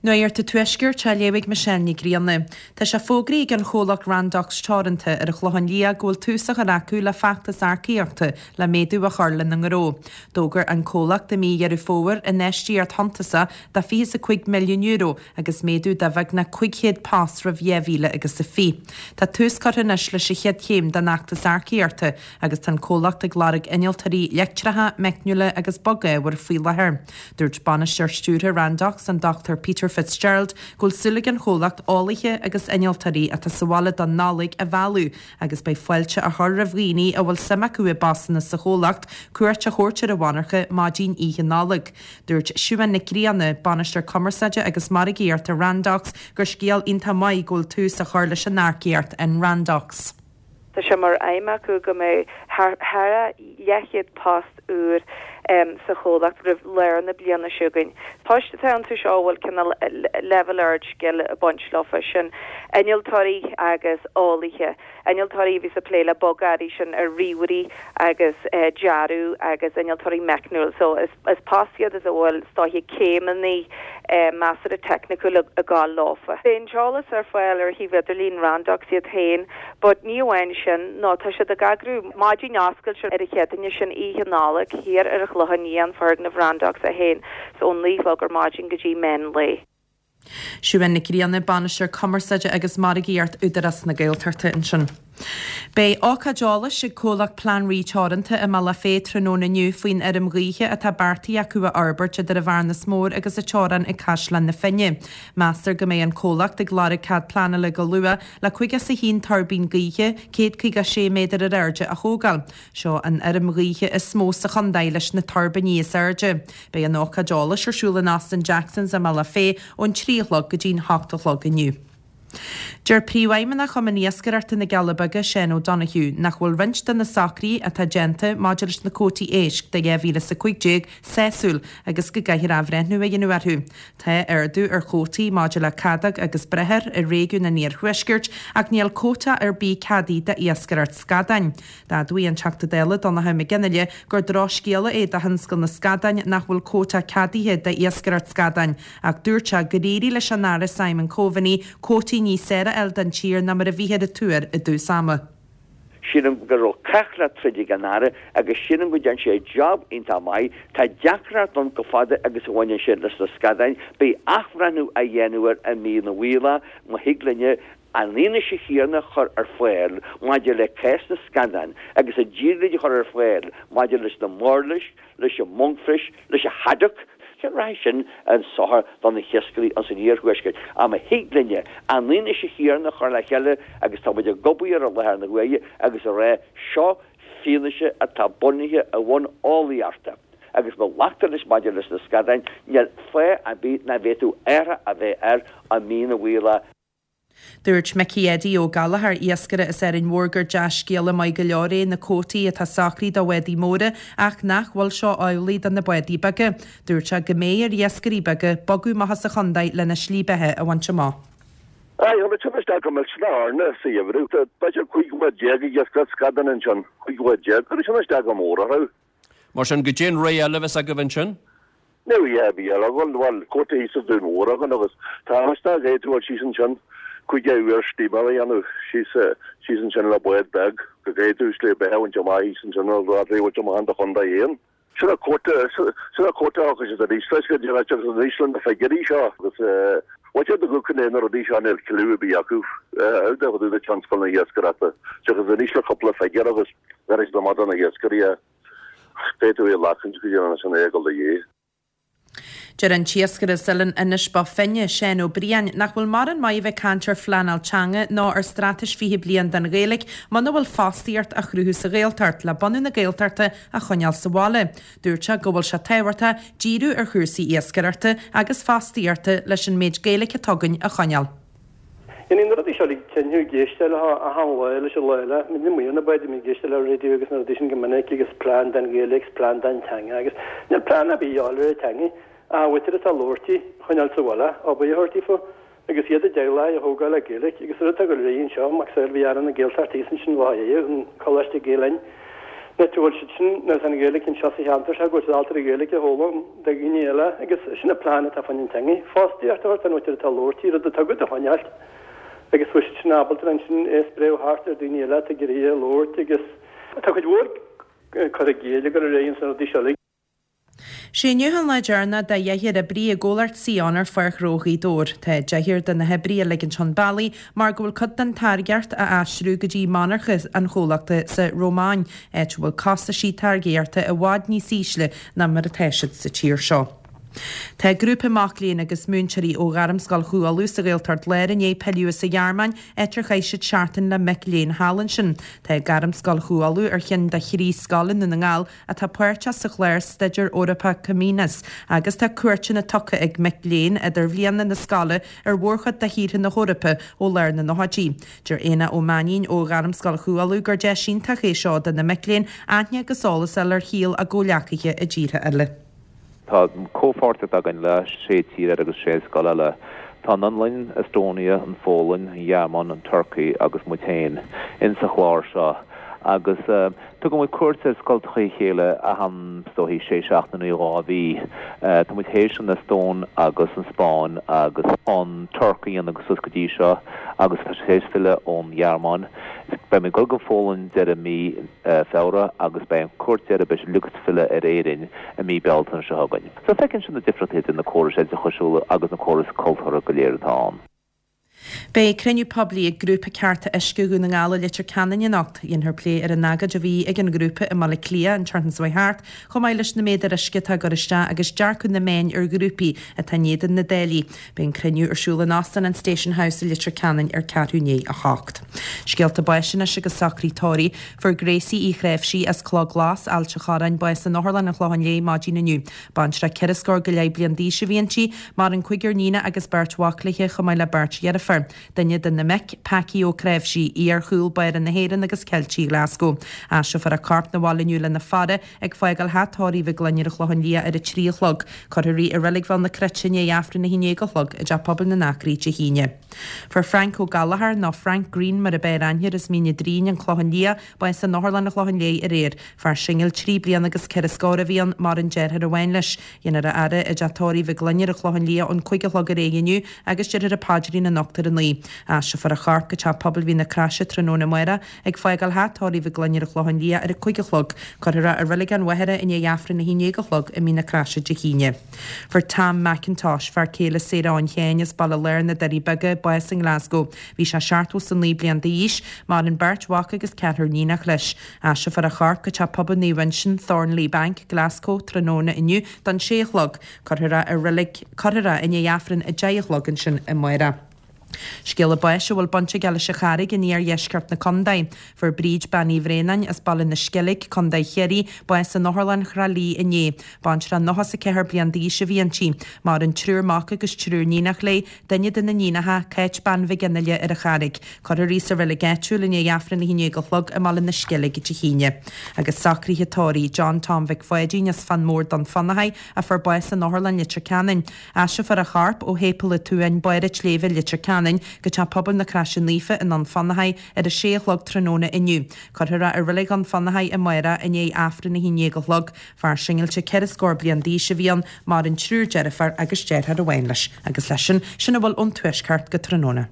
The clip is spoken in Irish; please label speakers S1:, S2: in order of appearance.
S1: Nuacht an Tuaiscirt á léamh ag Michelle Ní Ghrianna. Tá sé fógraithe ag an chomhlacht Randox Teoranta ar an Chlochán Liath go bhfuil tús á chur acu le feachtas earcaíochta le méadú a chur lena ngnó. D'fhógair an comhlacht i mí Dheireadh Fómhair infheistíocht shuntasach de €25 milliún agus méadú de bheagnach 500 post roimh 2020. Tá tús curtha anois leis an chéad chéim den fheachtas earcaíochta agus tá an comhlacht ag lorg innealtóirí leictreacha, meicniúla agus bog-ábhair faoi láthair. Dúirt Bainisteoir Stiúrtha Randox, an Dr Peter Fitzgerald, go bhfuil súil ag an chomhlacht eolaithe agus innealtóirí atá sa bhaile don Nollaig a mhealladh agus beidh fáilte á chur roimh dhaoine a bhfuil suim acu i bpostanna sa chomhlacht cuairt a thabhairt ar an mhonarcha maidin Oíche Nollag. Dúirt Siubhán Nic Grianna, Bainisteoir Cumarsáide agus Margaíochta Randox, gur scéal iontach maith go bhfuil tús á chur leis an earcaíocht in Randox.
S2: Tá sé mar aidhm acu go mbeidh thar leathchéad post úr sa chomhlacht roimh lár na bliana seo chugainn. Poist atá iontu seo a bhfuil cineál leibhéal ard scil ag baint leofa, sin innealtóirí agus eolaithe. Innealtóirí a bhíos ag plé le bogearraí, sin ar ríomhairí agus dearadh agus innealtóirí meicniúil. So is post iad is a bhfuil is dóiche céimeanna measartha teicniúil ag gabháil leofa. Beidh an t-eolas ar fáil ar shuíomh idirlín Randox iad féin but ní amháin sin nó tá siad ag eagrú maidin oscailte ar an Chéadaoine sin Oíche Nollag thiar ar an Chlochán Liath, foirgneamh Randox é féin so ón 9 a chlog ar maidin go dtí meán lae.
S1: Siubhán Nic Grianna, Bainisteoir Cumarsáide agus Margaíocht Údarás na Gaeltachta ansin. Beidh ócáid eolais ag comhlacht Plean Rí Teoranta i mBealach Féich tráthnóna inniu faoin fheirm ghaoithe atá beartaithe acu a fhorbairt idir an Bhearnas Mór agus an teorainn ag Caisleán na Finne. Meastar go mbeidh an comhlacht ag lorg cead pleanála go luath le 51 tuirbín gaoithe, 156 méadar ar airde, a thógáil. Seo an fheirm ghaoithe is mó sa chontae leis na tuirbíní is airde. Beidh an ócáid eolais ar siúl in Óstán Jackson's i mBealach Féich ón 3 a chlog go dtí'n 8 a chlog inniu. Deir Príomhfheidhmeannach Chumann Iascaireachta na gCealla Beaga, Seán O'Donoghue, nach bhfuil roinnt de na socruithe atá déanta maidir leis na cuótaí éisc do 2015 sásúil agus go gcaithfear athbhreithniú a dhéanamh orthu. Tá ardú ar chuótaí maidir le cadóg agus briothar i réigiún an iarthuaiscirt ach níl cuóta ar bith ceadaithe d'iascaireacht scadáin. D'admhaigh an Teachta Dála Donnchadh Mac Fhionnghaile gur drochscéala é do thionscal na scadáin nach bhfuil cuóta ceadaithe d'iascaireacht scadáin ach dúirt sé gur éirigh leis an Aire Simon Coveney cuótaí níos fearr a fháil don tír ná mar a bhíthear ag tuar i dtús ama.
S3: Sílim go raibh cath le troid ag an Aire agus sílim go dtearn sé job iontach maith. Tá deacracht ann chomh fada agus a bhaineann sé leis na scadáin. Beidh athbhreithniú á dhéanamh air i mí na bhFaoileach má thig linne an fhianaise chéanna a chur ar fáil maidir le cás na scadán agus an díriúid a chur ar fáil maidir leis na murlaisc, leis an monkfish, leis an haddock. Sea, rachaidh sin chun sochair do na hiascairí ins an iarthuaisceart. Ach má thig linne an fhianaise chéanna a chur le chéile agus tá muid ag obair ar i láthair na huaire agus a rá seo fianaise atá bunaithe ar bhonn eolaíochta agus má ghlactar leis maidir leis na scadáin, níl fáth ar bith nach bhféadfadh athrach a bheith air i mí na bhFaoileach.
S1: Dúirt Micí Eddie Ó Gallchóir, iascaire as Árainn Mhór gur dea-scéala maith go leor é na cuótaí atá socraithe do bhádaí móra ach nach bhfuil seo amhlaidh do na bádaí beaga. Dúirt sé go mbeidh ar iascairí beaga bogadh amach as an chontae lena slí beatha a bhaint amach.
S4: Aye, tháinig sin isteach go millteanach orainne sa gheimhreadh. Tá b'fhéidir 15 bhád ag iascaireacht scadán ansin, 15 bhád. Cuireadh sin isteach go mór orthu.
S5: Mar sin, goidé an rogha eile a bheas agaibh ansin?
S4: Níl a dhath ar bith eile againn. Bhuel, cuóta thíos sa Dún Mór againn agus tá isteach ag dul síos ansin cúig uair steamer a dhéanamh síos síos ansin le bád beag go gcaithfidh tú slí beatha a bhaint amach thíos ansin nó rud a bhaint amach in do chontae féin. Sin an cuóta sin an cuóta a thógfaidh siad arís leis go dtéann siad arís le na figiúirí seo agus bhain siad go go na rudaí seo níl cliú ar bith acu fá dtaobh de tionscal na hiascaireachta seachas arís le cúpla figiúr agus bheir siad amach do na hiascairí é. Féadfaidh tú é a ghlacaint go dtí sin é ag dul do dhéidh.
S1: Deir an t-iascaire as Oileán Inis Bó Finne, Seán Ó Briain, nach bhfuil mórán maith a bheith ag caint ar phleanáil teanga ná ar straitéis 20 bliain don Ghaeilge muna bhfuil fostaíocht á chruthú sa Ghaeltacht le bunadh na Gaeltachta a choinneáil sa bhaile. Dúirt sé go bhfuil sé tábhachtach díriú ar chúrsaí iascaireachta agus fostaíochta leis an méid Gaeilge atá againn a choinneáil.
S6: Dhéanfaidh na rudaí seo uilig tinn thú ag éisteacht leo achan lá leis an lá eile. Muid amuigh ar na báid, ag éisteacht le raidió agus na rudaí sin go minic agus plean don Ghaeilge agus plean don teanga agus níl plean ar bith a dhíobháil ar an teangaidh ach an mhuintir atá ag labhairt í a choinneáil sa bhaile, obair a thabhairt daofa agus iad a dteaghlaigh a thógáil le Gaeilge agus an rud atá ag dul ar aghaidh anseo, macasamhail bhí Aire na Gaeltachta thíos ansin lá inné, an Coláiste Gael Linn. Anois go bhfuil siad sin, nuair atá an Ghaeilge anseo sa cheantar seo, go bhfuil siad ábalta an Ghaeilge a fhoghlaim do dhaoine eile agus sin an plean atá fá choinne an teangaidh. Fostaíocht a thabhairt don mhuintir atá ag labhairt í, rud atá agat a choinneáilt agus bhfuil siad sin ábalta ansin é a spréadh thart ar daoine eile atá ag iarraidh é a labhairt agus tá cuid mhór cur i gcéill ag dul ar aghaidh ins na rudaí seo uilig.
S1: Sé inniu an lá deireanach do dheichniúr oibrí i gcomhlacht Sion ar Pháirc Ghnó Ghaoth Dobhair. Tá deichniúr de na hoibrithe ag ligint chun bealaigh mar go bhfuil cuid den táirgeacht á aistriú go dtí monarcha an chomhlachta sa Rómáin, áit a bhfuil costaisí táirgeachta i bhfad níos ísle ná mar atá siad sa tír seo. Tá grúpa mac léinn agus múinteoirí ó Ghairmscoil Chú Uladh sa Ghaeltacht Láir i ndiaidh pilleadh as an Ghearmáin, áit ar chaith siad seachtain le mic léinn thall ansin. Tá Gairmscoil Chú Uladh ar cheann de thrí scoil i nDún na nGall atá páirteach sa chlár Staidéir Eorpach Comenius agus tá cuairteanna tugtha ag mic léinn idirbhliana na scoile ar mhórchuid de thíortha na hEorpa ó lár na nóchaidí. Deir Éanna Ó Mainnín ó Ghairmscoil Chú Uladh gur deis iontach é seo do na mic léinn aithne agus eolas a fháil ar shaol a gcomhleacaithe i dtíortha eile.
S7: Tá comhpháirtíocht againn le sé tír eile agus sé scoil eile. Tá an Fhionlainn, Estonia, an Pholainn, an Ghearmáin, an Turcaí agus muid féin in sa chlár seo agus tugann muid cuairt ar scoltacha a chéile achan, is dóichí, sé seachtaine nó 2 mhí. Tá muid théis an Eastóin agus an Spáinn agus an Tuirc a dhéanamh suas go dtí seo agus tá sé théis filleadh ón Ghearmáin. Beidh muid ag dul go Pholainn deireadh mí Feabhra agus beidh an cuairt deiridh, beidh siad uilig ag filleadh ar Éirinn i mí Bealtaine seo chugainn. So feiceann siad na difríochtaí idir na córais oideachasúla agus na córais cultúrtha go léir atá ann.
S1: Beidh cruinniú poiblí ag Grúpa Cearta Uisce Dhún na nGall i Leitir Ceanainn anocht. Dhéanfar plé ar an agóid a bhí ag an ghrúpa i mBaile Átha Cliath an tseachtain seo thart, chomh maith leis na méadair uisce atá ag cur isteach agus dearcadh na meáin ar ghrúpaí atá in éadan na dtáillí. Beidh an cruinniú ar siúl in Óstán an Station House i Leitir Ceanainn ar ceathrú i ndiaidh 8. Scéalta báis anois agus socruithe tórraimh. Fuair Gracie Uí Chnáimhsí as Cloch Glas, Ailt a' Chorráin, bás in Otharlann an Chlocháin Léith maidin inniu. Baintreach ceithre scór go leith bliain d'aois a bhí inti. Maireann cúigear níonach agus beirt mhac léi chomh maith le beirt dheirféar. Duine de na mic, Packie Ó Cnáimhsí, iar-chúl báire na hÉireann agus Ceiltigh Ghlaschú. Aistreofar a corp 'na bhaile inniu lena faire ag fágáil theach tórraimh Mhic Gloinn ar an Chlochán Liath ar a 3 a chlog. Cuirfear í i Reilig Bhéal na Cruite i ndiaidh Aifreann a 11 a chlog i dTeach Pobail na nAcraí Dé hAoine. Fuair Frank Ó Gallchóir, nó Frank Greene mar a b'fhearr aithne air, as Mín an Doirín, An Clochán Liath, bás in Otharlann an Chlocháin Léith aréir. Fear singil trí bliana agus ceithre scór a bhí ann, maireann deartháir amháin leis. Dhéanfar a fhaire i dteach tórraimh Mhic Gloinn ar an Chlochán Liath ón 5 a chlog ar aghaidh inniu agus déarfar an paidrín anocht ar a 9. Aistreofar a chorp go Teach Pobail Mhín na Croise tráthnóna amárach ag fágáil theach tórraimh Mhic Gloinn ar an Chlochán Liath ar a 5 a chlog. Cuirfear é i Reilig an Mhachaire i ndiaidh Aifreann 11 a chlog i Mín na Croise Dé hAoine. Fuair Tam McIntosh, fear céile Sarah Eoin Sheáin as Baile Láir na Doirí Beaga, bás i nGlasgow. Bhí sé 79 bliain d'aois. Maireann beirt mhac agus ceathrar níonach leis. Aistreofar a chorp go Teach Pobail Naomh Uinseann, Thornliebank, Glasgow, tráthnóna inniu don sé a chlog. Cuirfear é i reilig, cuirfear é i ndiaidh Aifreann a 10 a chlog ansin amárach. Scéala báis a bhfuil baint aige leis an Charraig in iardheisceart na contae. Fuair Bríd Bean Uí Bhraonáin as Baile na Sceilg, Contae Chiarraí, bás in Otharlann Thrá Lí inné. Baintreach 94 bliain d'aois a bhí inti. Maireann triúr mac agus triúr níonach léi, Duine de na níonacha, Cáit Bean Mhig Fhionnaile ar an Charraig. Cuirfear í sa reilig áitiúil i ndiaidh Aifreann 11 a chlog i mBaile na Sceilge Dé hAoine. Agus socruithe tórraimh John Tom Mhic Pháidín as Fán Mór Dún Fionnachaidh a fuair bás in Otharlann Leitir Ceanainn. Aistreofar a chorp ó Shéipéal an tSuain, Barr an tSléibhe, Leitir Ceanainn, go Teach Pobail na Croise Naofa i nDún Fionnachaidh ar a sé a chlog tráthnóna inniu. Cuirfear é i Reilig Dhún Fionnachaidh amárach i ndiaidh Aifreann 11 a chlog. Fear singilte ceithre scór bliain d'aois a bhí ann, maireann triúr deirféar agus deartháir amháin leis. Agus leis sin, sin a bhfuil ón Tuaisceart go tráthnóna.